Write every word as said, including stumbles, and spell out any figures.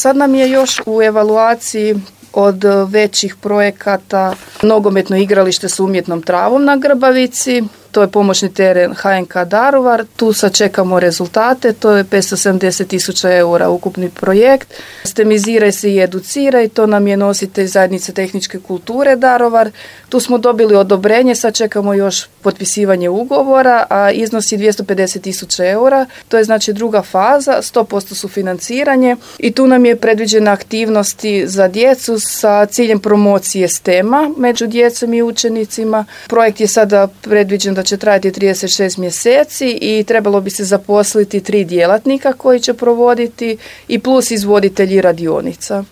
Sad nam je još u evaluaciji od većih projekata nogometno igralište s umjetnom travom na Grbavici. To je pomoćni teren H N K Daruvar. Tu sad čekamo rezultate. To je petsto sedamdeset tisuća eura ukupni projekt. Stemiziraj se i educiraj. To nam je nositelj zajednice tehničke kulture Daruvar. Tu smo dobili odobrenje. Sad čekamo još potpisivanje ugovora, a iznosi dvjesto pedeset tisuća eura. To je znači druga faza, sto posto sufinanciranje. I tu nam je predviđena aktivnosti za djecu sa ciljem promocije stema među djecom i učenicima. Projekt je sada predviđen da će trajati trideset šest mjeseci i trebalo bi se zaposliti tri djelatnika koji će provoditi i plus izvoditelji radionica.